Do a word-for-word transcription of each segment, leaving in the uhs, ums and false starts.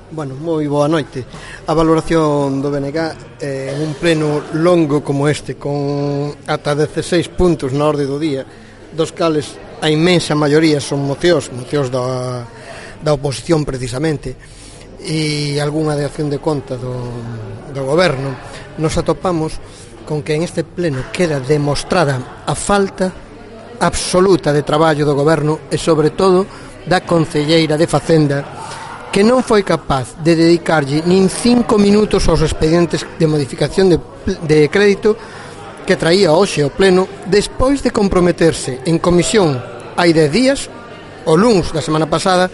Bueno, moi boa noite. A valoración do B N G eh, en un pleno longo como este, con ata dezasseis puntos na orde do día, dos cales a inmensa maioría son mocións, mocións da, da oposición precisamente, e algunha de acción de conta do, do goberno, nos atopamos con que en este pleno queda demostrada a falta absoluta de traballo do goberno e sobre todo da concelleira de Facenda, que non foi capaz de dedicarlle nin cinco minutos aos expedientes de modificación de, de crédito que traía hoxe ao pleno, despois de comprometerse en comisión hai dez días, o luns da semana pasada,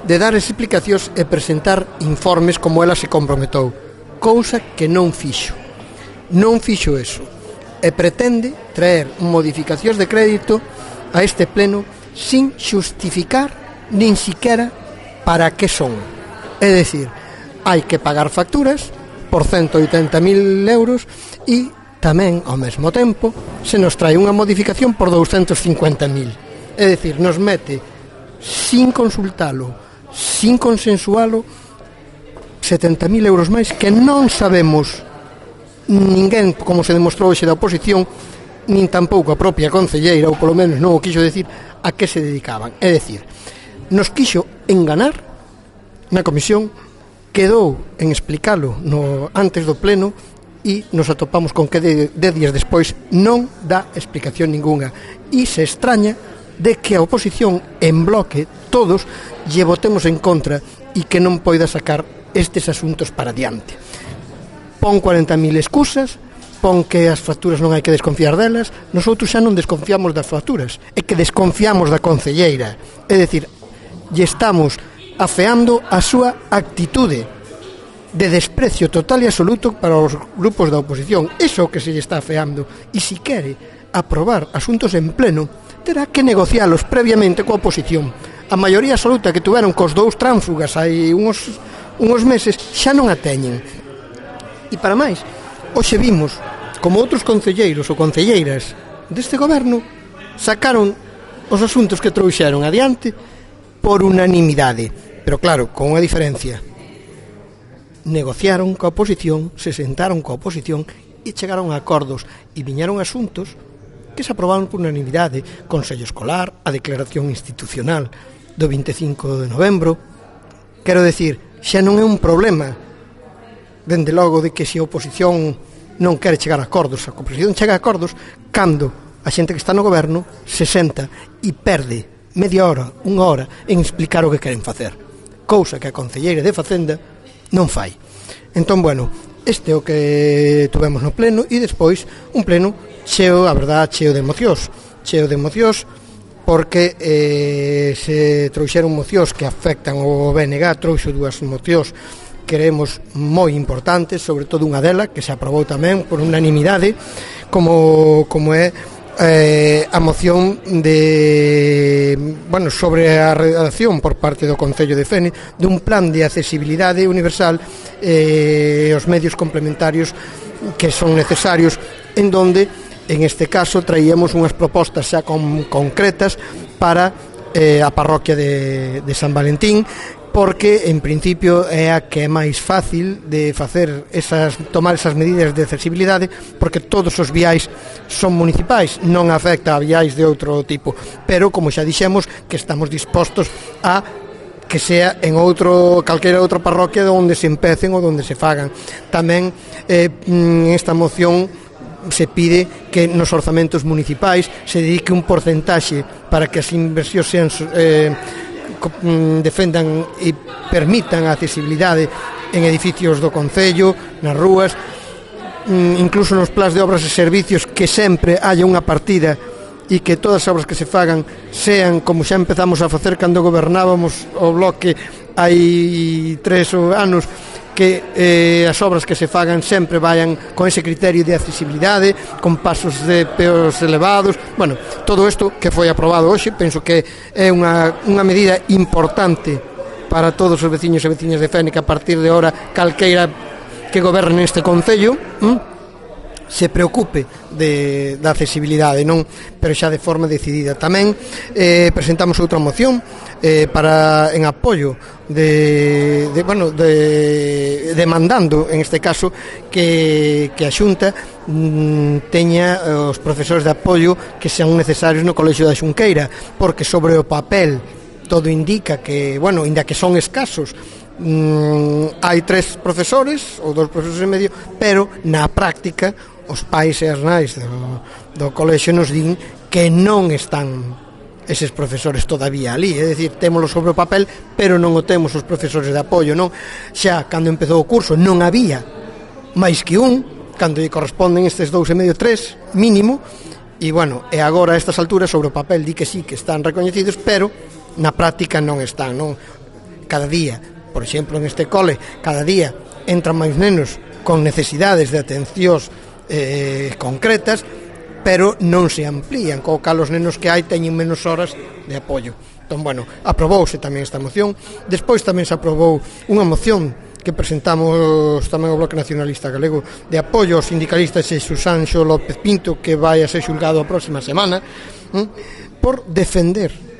de dar explicacións e presentar informes como ela se comprometou, cousa que non fixo. Non fixo eso. E pretende traer modificacións de crédito a este pleno sin xustificar nin siquiera para que son. É dicir, hai que pagar facturas por ciento oitenta mil euros e tamén, ao mesmo tempo, se nos trae unha modificación por douscentos cincuenta mil. É dicir, nos mete, sin consultalo, sin consensualo, setenta mil euros máis que non sabemos ninguén, como se demostrou hoxe da oposición, nin tampouco a propia concelleira, ou polo menos non o quixo decir, a que se dedicaban. É dicir, nos quixo enganar na comisión, quedou en explicalo no, antes do pleno e nos atopamos con que de, de días despois non dá explicación ninguna e se extraña de que a oposición en bloque todos lle votemos en contra e que non poida sacar estes asuntos para diante. Pon cuarenta mil excusas, pon que as facturas non hai que desconfiar delas, nosotros xa non desconfiamos das facturas, é que desconfiamos da concelleira, é dicir, lle estamos afeando a súa actitude de desprecio total e absoluto para os grupos da oposición. Iso que se lle está afeando. E se quere aprobar asuntos en pleno, terá que negocialos previamente coa oposición. A maioría absoluta que tuveron cos dous tránfugas hai uns, uns meses xa non a teñen. E para máis, hoxe vimos como outros concelleiros ou concelleiras deste goberno sacaron os asuntos que trouxeron adiante por unanimidade, pero claro, con unha diferencia. Negociaron coa oposición, se sentaron coa oposición e chegaron a acordos e viñeron asuntos que se aprobaron por unanimidade, Consello Escolar, a declaración institucional do vinte e cinco de novembro. Quero decir, xa non é un problema dende logo de que se a oposición non quere chegar a acordos, a oposición chega a acordos cando a xente que está no goberno se senta e perde media hora, unha hora en explicar o que queren facer, cousa que a concelleira de Facenda non fai. Entón, bueno, este é o que tuvemos no pleno e despois un pleno cheo, a verdad, cheo de mocións cheo de mocións porque eh, se trouxeron mocións que afectan o B N G, trouxo dúas mocións que creemos moi importantes, sobre todo unha dela que se aprobou tamén por unanimidade, como, como é Eh, a moción de bueno, sobre a redacción por parte do Concello de Fene dun plan de accesibilidade universal e eh, os medios complementarios que son necesarios, en donde en este caso traíamos unhas propostas xa con, concretas para eh, a parroquia de, de San Valentín, porque en principio é a que é máis fácil de facer esas, tomar esas medidas de accesibilidade, porque todos os viais son municipais, non afecta a viais de outro tipo, pero como xa dixemos que estamos dispostos a que sea en outro calquera outra parroquia onde se empecen ou onde se fagan. Tamén eh, en esta moción se pide que nos orzamentos municipais se dedique un porcentaxe para que as inversións sean eh, defendan e permitan a accesibilidade en edificios do Concello, nas rúas, incluso nos plans de obras e servicios, que sempre haya unha partida e que todas as obras que se fagan sean como xa empezamos a facer cando gobernábamos o bloque hai tres anos, que eh, as obras que se fagan sempre vayan con ese criterio de accesibilidade, con pasos de peos elevados. Bueno, todo isto que foi aprobado hoxe, penso que é unha, unha medida importante para todos os veciños e veciñas de Fene, que a partir de ahora calqueira que goberne neste concello ¿m? se preocupe de, da accesibilidade, non, pero xa de forma decidida. Tamén eh, presentamos outra moción eh, para en apoio de, de bueno, de, demandando en este caso que, que a Xunta mm, teña os profesores de apoio que sean necesarios no Colexio da Xunqueira, porque sobre o papel todo indica que, bueno, inda que son escasos, mm, hai tres profesores ou dos profesores e medio, pero na práctica os pais e as nais do, do colexio nos din que non están eses profesores todavía ali, é dicir, témolo sobre o papel, pero non o temos os profesores de apoio, non? Xa, cando empezou o curso, non había máis que un, cando lle corresponden estes dous e medio, tres, mínimo, e, bueno, e agora a estas alturas, sobre o papel, di que sí, que están recoñecidos, pero na práctica non están, non? Cada día, por exemplo, neste cole, cada día entran máis nenos con necesidades de atencións eh, concretas, pero non se amplían, co cal os nenos que hai teñen menos horas de apoio. Entón, bueno, aprobouse tamén esta moción. Despois tamén se aprobou unha moción que presentamos tamén o Bloque Nacionalista Galego de apoio aos sindicalistas e Susanxo López Pinto, que vai a ser xulgado a próxima semana, hm, por defender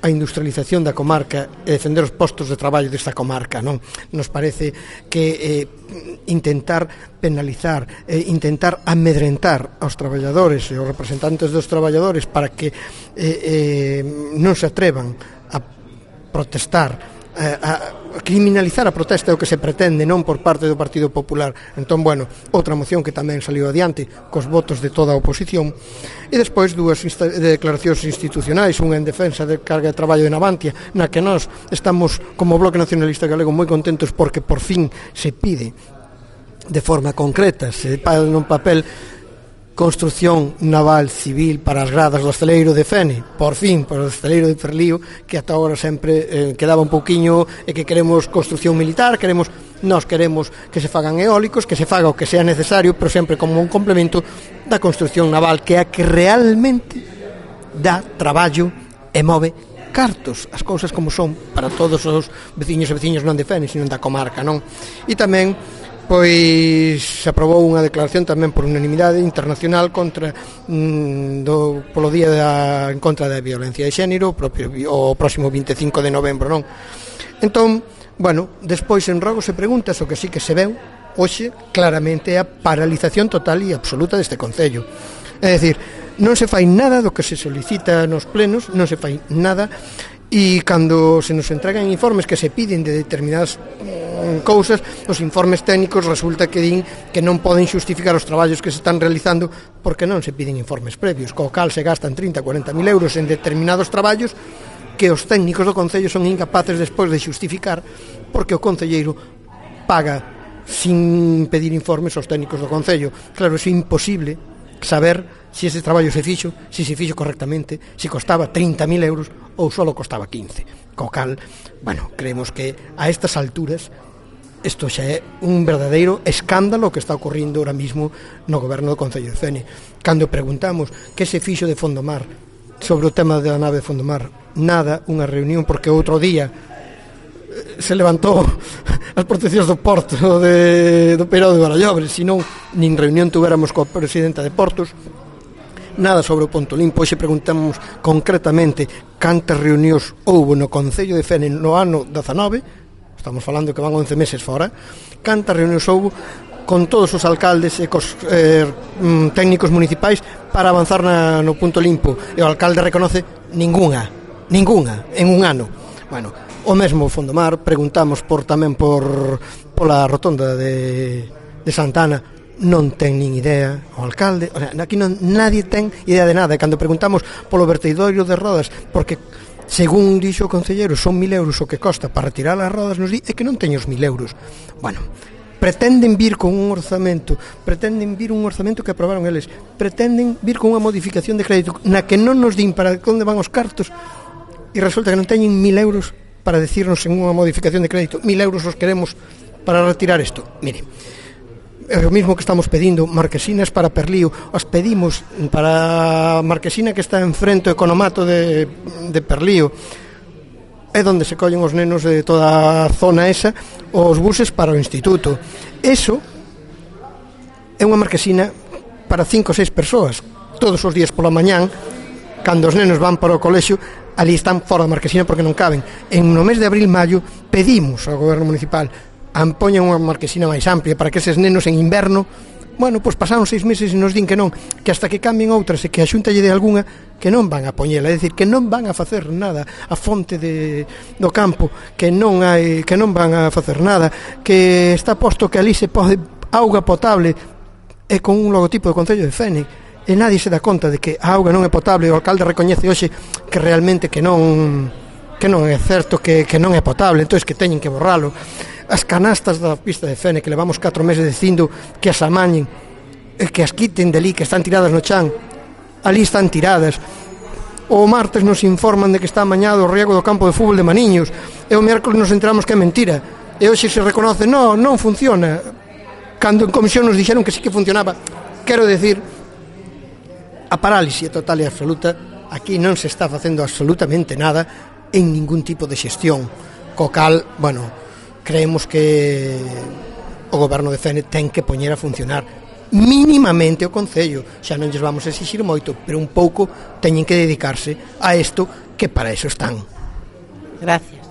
a industrialización da comarca e defender os postos de traballo desta comarca, non? Nos parece que eh, intentar penalizar, eh, intentar amedrentar aos traballadores e aos representantes dos traballadores para que eh, eh, non se atrevan a protestar, a criminalizar a protesta é o que se pretende, non por parte do Partido Popular. Entón, bueno, outra moción que tamén saliu adiante cos votos de toda a oposición, e despois dúas insta- declaracións institucionais, unha en defensa de carga de traballo de Navantia, na que nós estamos como Bloque Nacionalista Galego moi contentos porque por fin se pide de forma concreta, se paga nun papel construción naval civil para as gradas do estaleiro de Fene, por fin, para o estaleiro de Perlío, que ata agora sempre eh, quedaba un pouquiño, e que queremos construción militar, queremos, nós queremos que se fagan eólicos, que se faga o que sea necesario, pero sempre como un complemento da construción naval, que é a que realmente dá traballo e move cartos, as cousas como son para todos os veciños e veciños non de Fene, sino da comarca, non? E tamén pois se aprobou unha declaración tamén por unanimidade internacional contra mm, do, polo día da, en contra da violencia de xénero, o, propio, o próximo vinte e cinco de novembro, non? Entón, bueno, despois en rogos e preguntas, o que sí que se veu hoxe claramente é a paralización total e absoluta deste Concello. É dicir, non se fai nada do que se solicita nos plenos, non se fai nada. E cando se nos entregan informes que se piden de determinadas mm, cousas, os informes técnicos resulta que din que non poden xustificar os traballos que se están realizando porque non se piden informes previos, co cal se gastan trinta a cuarenta mil euros en determinados traballos que os técnicos do Concello son incapaces despois de xustificar, porque o concelleiro paga sin pedir informes aos técnicos do Concello. Claro, é imposible saber se ese traballo se fixo, se se fixo correctamente, se costaba trinta mil euros ou só costaba quince. Co cal, bueno, creemos que a estas alturas isto xa é un verdadeiro escándalo que está ocorrindo ahora mismo no goberno do Concello de Fene. Cando preguntamos que se fixo de Fondomar sobre o tema da nave de Fondomar, nada, unha reunión, porque outro día se levantou as proteccións do Porto de, do Peirao de Barallobre, senón nin reunión tuveramos coa presidenta de Portos, nada sobre o Ponto Limpo. Hoxe preguntamos concretamente cantas reunións houbo no Concello de Fene no ano dezanove, estamos falando que van once meses fora, cantas reunións houbo con todos os alcaldes e cos eh, técnicos municipais para avanzar na, no Punto Limpo, e o alcalde reconoce ningunha, ningunha, en un ano. Bueno, o mesmo Fondomar, preguntamos por tamén por pola rotonda de, de Santana, non ten nin idea o alcalde, o sea, aquí non, nadie ten idea de nada. E cando preguntamos polo vertedoiro de rodas, porque según dixo o concelleiro son mil euros o que costa para retirar as rodas, nos di é que non teño os mil euros. Bueno, pretenden vir con un orzamento, pretenden vir un orzamento que aprobaron eles, pretenden vir con unha modificación de crédito na que non nos din para onde van os cartos, e resulta que non teñen mil euros para decirnos en unha modificación de crédito, mil euros os queremos para retirar isto. Mire, é o mismo que estamos pedindo marquesinas para Perlío, as pedimos para a marquesina que está enfrente ao economato de, de Perlío, é onde se collen os nenos de toda a zona esa, os buses para o instituto. Eso é unha marquesina para cinco ou seis persoas, todos os días pola mañán, cando os nenos van para o colexio, ali están fora da marquesina porque non caben. En no mes de abril, maio, pedimos ao goberno municipal ampoñan unha marquesina máis amplia para que eses nenos en inverno, bueno, pois pasaron seis meses e nos din que non, que hasta que cambien outras e que a Xunta lle de algunha, que non van a poñela, é dicir, que non van a facer nada a fonte de, do campo, que non hai, que non van a facer nada, que está posto que ali se pode auga potable e con un logotipo do Concello de Fene, e nadie se dá conta de que a auga non é potable. O alcalde recoñece hoxe que realmente que non que non é certo, que, que non é potable, entón que teñen que borralo. As canastas da pista de Fene, que levamos catro meses dicindo que as amañen, que as quiten deli, que están tiradas no chan, ali están tiradas. O martes nos informan de que está amañado o riego do campo de fútbol de Maniños, e o miércoles nos enteramos que é mentira, e hoxe se reconoce, non, non funciona, cando en comisión nos dixeron que sí que funcionaba. Quero decir, a parálise total e absoluta, aquí non se está facendo absolutamente nada en ningún tipo de xestión, co cal, bueno, creemos que o goberno de Fene ten que poñer a funcionar mínimamente o Concello. Xa non lles vamos a exixir moito, pero un pouco teñen que dedicarse a isto, que para eso están. Gracias.